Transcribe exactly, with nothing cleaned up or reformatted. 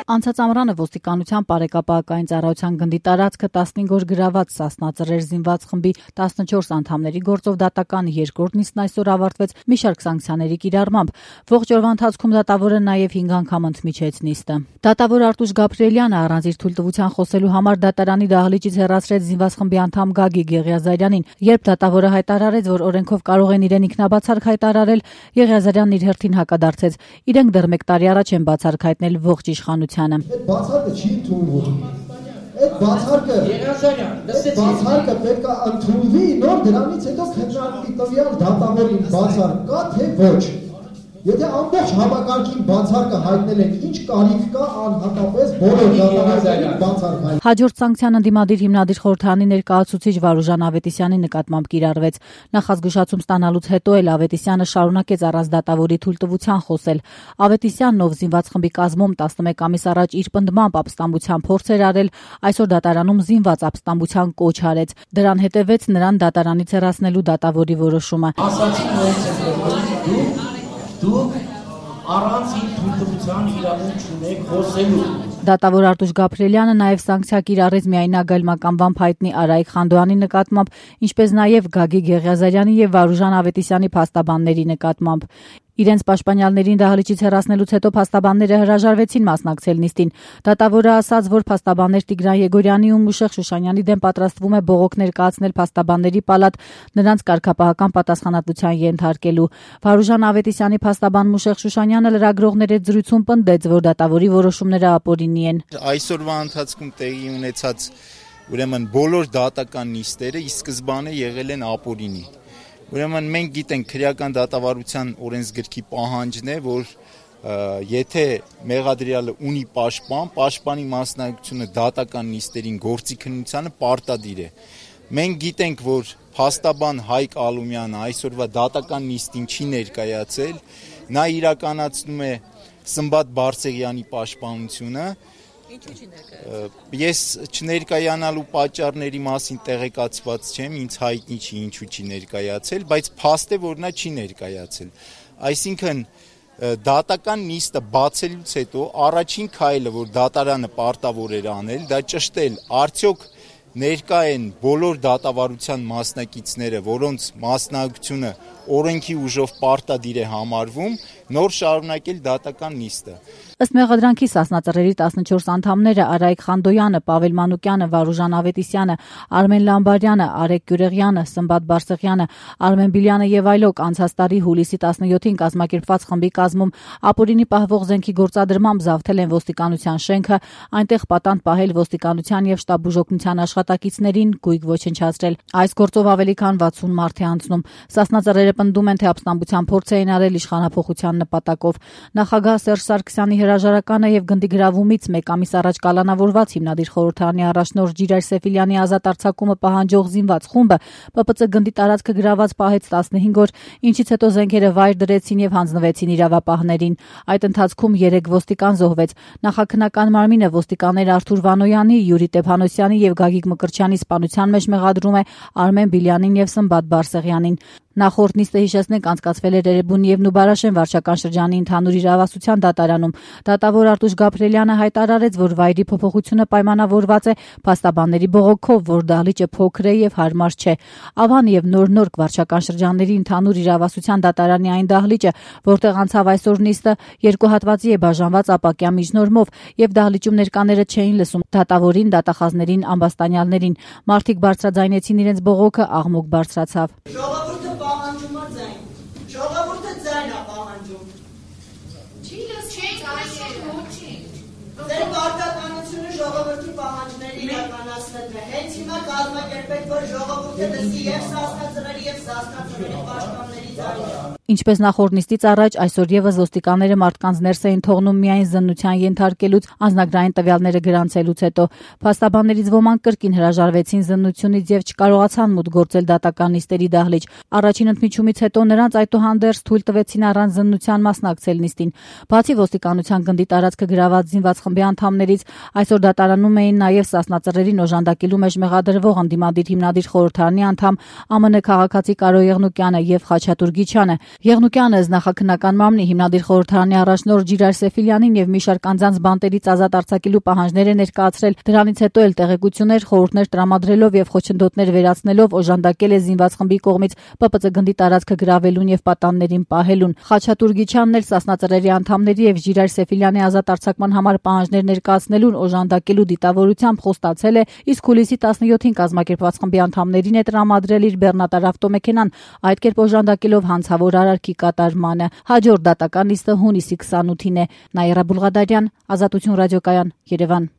Անցած ամռանը ոստիկանության բարեկապահական ծառայության գնդի տարածքը տասնհինգ օր գրաված Սասնա Ծռեր զինված խմբի տասնչորս անդամների գործով դատական երկրորդ նիստն այսօր ավարտվեց մի շարք սանկցիաների կիրառմամբ։ Ողջ օրվա ընթացքում դատավորը նաև հինգ անգամ ընդմիջեց նիստը։ Դատավոր Արտուշ Գաբրիելյանը առանց իր թույլտվության խոսելու համար դատարանի դահլիճից հեռացրեց զինված խմբի անդամ Գագիկ Եղիազարյանին։ Երբ դատավորը հայտարարեց, որ օրենքով կարող են իրեն ինքնաբացարկ հայտարարել, Եղիազարյանն իր հերթին հակադարձեց. իրենք դեռ մեկ տարի առաջ են բացարկ հայտնել ողջ իշխանությանը։ Այդ բացարկը չի ընդունվում։ Այդ բացարկը բացարկը պետք է ընդունվի, նոր դրանից հետո քննարկվի տվյալ դատավորին բացարկ կա թե ոչ։ Եթե ամբողջ համակարգին բացարկը հայտնել են, ինչ կարիք կա անհատապես բոլոր դատավորներին բացարկ հայտնել։ Հաջորդ սանկցիան ընդդիմադիր հիմնադիր խորհրդարանի ներկայացուցիչ Վարուժան Ավետիսյանի նկատմամբ կիրառվեց։ Նախազգուշացում ստանալուց հետո էլ Ավետիսյանը շարունակեց առանց դատավորի թույլտվության խոսել։ Ավետիսյանն, ով զինված խմբի կազմում տասնմեկ ամիս առաջ իր պնդմամբ ապստամբության փորձ էր արել, այսօր դատարանում զինված ապստամբության կոչ արեց։ Դրան հետևեց նրան դատարանից հեռացնելու դատավորի որոշումը։ Դուք առանց իր թույլտվության իրավունք չունեք խոսելու։ Դատավոր Արտուշ Գաբրիելյանը նաև սանկցիա կիրառեց միայնագայլ մականվամբ հայտնի Արայիկ Խանդոյանի նկատմամբ, ինչպես նաև Գագիկ Եղիազարյանի եւ Վարուժան Ավետիսյանի փաստաբանների նկատմամբ։ Իրենց պաշտպանյալներին դահլիճից հեռացնելուց հետո փաստաբանները հրաժարվեցին մասնակցել նիստին։ Դատավորը ասաց, որ փաստաբաններ Տիգրան Եգորյանի ու Մուշեղ Շուշանյանի դեմ պատրաստվում է բողոք ներկայացնել փաստաբանների պալատ նրանց կարգապահական պատասխանատվության ենթարկելու։ Վարուժան Ավետիսյանի փաստաբան Մուշեղ Շուշանյանը լրագրողների հետ զրույցում պնդեց, որ դատավորի որոշումները ապօրինի են։ Այսօրվա ընթացքում տեղի ունեցած ուրեմն բոլոր դատական նիստերը ի սկզբանե եղել են ապօրինի։ Ուրեմն մենք գիտենք քրեական դատավարության օրենսգրքի պահանջն է, որ եթե մեղադրյալը ունի պաշտպան, պաշտպանի մասնակցությունը դատական նիստերին գործի քննությանը պարտադիր է։ Մենք գիտենք, որ փաստաբան Հայկ Ալումյանը այսօրվա դատական նիստին չի ներկայացել, նա իրականացնում է Սմբատ Բարսեղյանի պաշտպանությունը։ Ինչու չի ներկայացել։ Ես չներկայանալու պատճառների մասին տեղեկացված չեմ, ինձ հայտնի չի ինչու չի ներկայացել, բայց փաստ է, որ նա չի ներկայացել։ Այսինքն դատական նիստը բացելուց հետո առաջին քայլը, որ դատարանը պարտավոր էր անել, դա ճշտել, արդյոք ներկա են բոլոր դատավարության մասնակիցները, որոնց մասնակցությունը օրենքի ուժով պարտադիր է համարվում, նոր շարունակել դատական նիստը։ Ըստ մեղադրանքի Սասնա Ծռերի տասնչորս անդամները Արայիկ Խանդոյանը, Պավել Մանուկյանը, Վարուժան Ավետիսյանը, Արմեն Լամբարյանը, Արեգ Գյուրեղյանը, Սմբատ Բարսեղյանը, Արմեն Բիլյանը եւ այլոք անցած տարի հուլիսի տասնյոթին կազմակերպված խմբի կազմում ապօրինի պահվող զենքի գործադրմամբ զավթել են ոստիկանության շենքը, այնտեղ պատանդ պահել ոստիկանության եւ շտաբ բուժօգնության աշխատակիցներին, գույք ոչնչացրել։ Այս գործով ավելի քան վաթսուն մարդ է անցնում։ Սասնա Ծռերը պնդում են, թե ապստամբության փորձ էին արել իշխանափոխության նպատակով։ Նախագահ Սերժ Սարգսյանի հրաժարականը եւ գնդի գրավումից մեկ ամիս առաջ կալանավորված հիմնադիր խորհրդարանի առաջնորդ Ջիրայր Սեֆիլյանի ազատ արձակումը պահանջող զինված խումբը ՊՊՑ գնդի տարածքը գրաված պահեց տասնհինգ օր, ինչից հետո զենքերը վայր դրեցին եւ հանձնվեցին իրավապահներին։ Այդ ընթացքում երեք ոստիկան զոհվեց։ Նախաքննական մարմինը ոստիկաններ Արթուր Վանոյանի, Յուրի Տեփանոսյանի եւ Գագիկ Մկրտչյանի սպանության մեջ մեղադրում է Արմեն Բիլյանին եւ Սմբատ Բարսեղյանին։ Նախորդ նիստը հիշեցնենք անցկացվել էր Էրեբունի եւ Նուբարաշեն վարչական շրջանի ընդհանուր իրավասության դատարանում։ Դատավոր Արտուշ Գաբրիելյանը հայտարարեց, որ վայրի փոփոխությունը պայմանավորված է փաստաբանների բողոքով, որ դահլիճը փոքր է եւ հարմար չէ։ Ավան եւ Նոր-Նորք վարչական շրջանների ընդհանուր իրավասության դատարանի այն դահլիճը, որտեղ անցավ այսօր նիստը, երկու հատվածի է բաժանված ապակյա միջնորմով եւ դահլիճում ներկաները չէին լսում դատավորին, դատախազներին, ամբաստանյալներին։ Մարդիկ բարձրաձայնեցին իրենց բողոքը, աղմուկ բարձրացավ։ Պահանջում է ձայն, ժողովուրդը ձայն է պահանջում։ Չի լսում ձայները, ոչինչ։ Ձեր պարտականությունը ժողովրդի պահանջները իրականացնելն է։ Հենց հիմա կազմակերպեք, որ ժողովուրդը լսի եւ Սասնա Ծռերի եւ Սասնա Ծռերի պաշտպանների ձայնը։ Ինչպես նախորդ նիստից առաջ, այսօր եւս ոստիկանները մարդկանց ներս էին թողնում միայն զննության ենթարկելուց, անձնագրային տվյալները գրանցելուց հետո։ Փաստաբաններից ոմանք կրկին հրաժարվեցին զննությունից եւ չկարողացան մուտք գործել դատական նիստերի դահլիճ։ Առաջին ընդմիջումից հետո նրանց այդուհանդերձ թույլ տվեցին առանց զննության մասնակցել նիստին։ Բացի ոստիկանության գնդի տարածքը գրաված զինված խմբի անդամներից, այսօր դատարանում էին նաեւ Սասնա Ծռերին օժանդակելու մեջ մեղադրվող ընդդիմադիր հիմնադիր խորհրդարանի անդամ, ԱՄՆ քաղաքացի Կարո Եղնուկյանը եւ Խաչատուր Գիչյանը։ Եղնուկյանը նախաքննական մամլի հիմնադիր խորհրդարանի առաջնորդ Ջիրայր Սեֆիլյանին եւ մի շարք անձանց բանտերից ազատ արձակելու պահանջներ է ներկայացրել։ Դրանից հետո էլ տեղեկություններ, խորհուրդներ տրամադրելով եւ խոչընդոտներ վերացնելով օժանդակել է զինված խմբի կողմից Պ Պ Ծ գնդի տարածքը գրավելուն եւ պատաններին պահելուն։ Խաչատուր Գիչյանն էլ Սասնա ծռերի անդամների եւ Ջիրայր Սեֆիլյանի ազատ արձակման համար պահանջներ ներկայացնելուն օժանդակելու դիտավորությամբ խոստացել է, իսկ հուլիսի տասնյոթին կազմակերպված խմբի անդամներին է տրամադրել իր բեռնատար ավտոմեքենան, այդ կերպ օժանդակելով հանցավոր արարքի կատարմանը։ Հաջորդ դատական նիստը հունիսի քսանութին է։ Նաիրա Բուլղադարյան, Ազատություն ռադիոկայան, Երևան։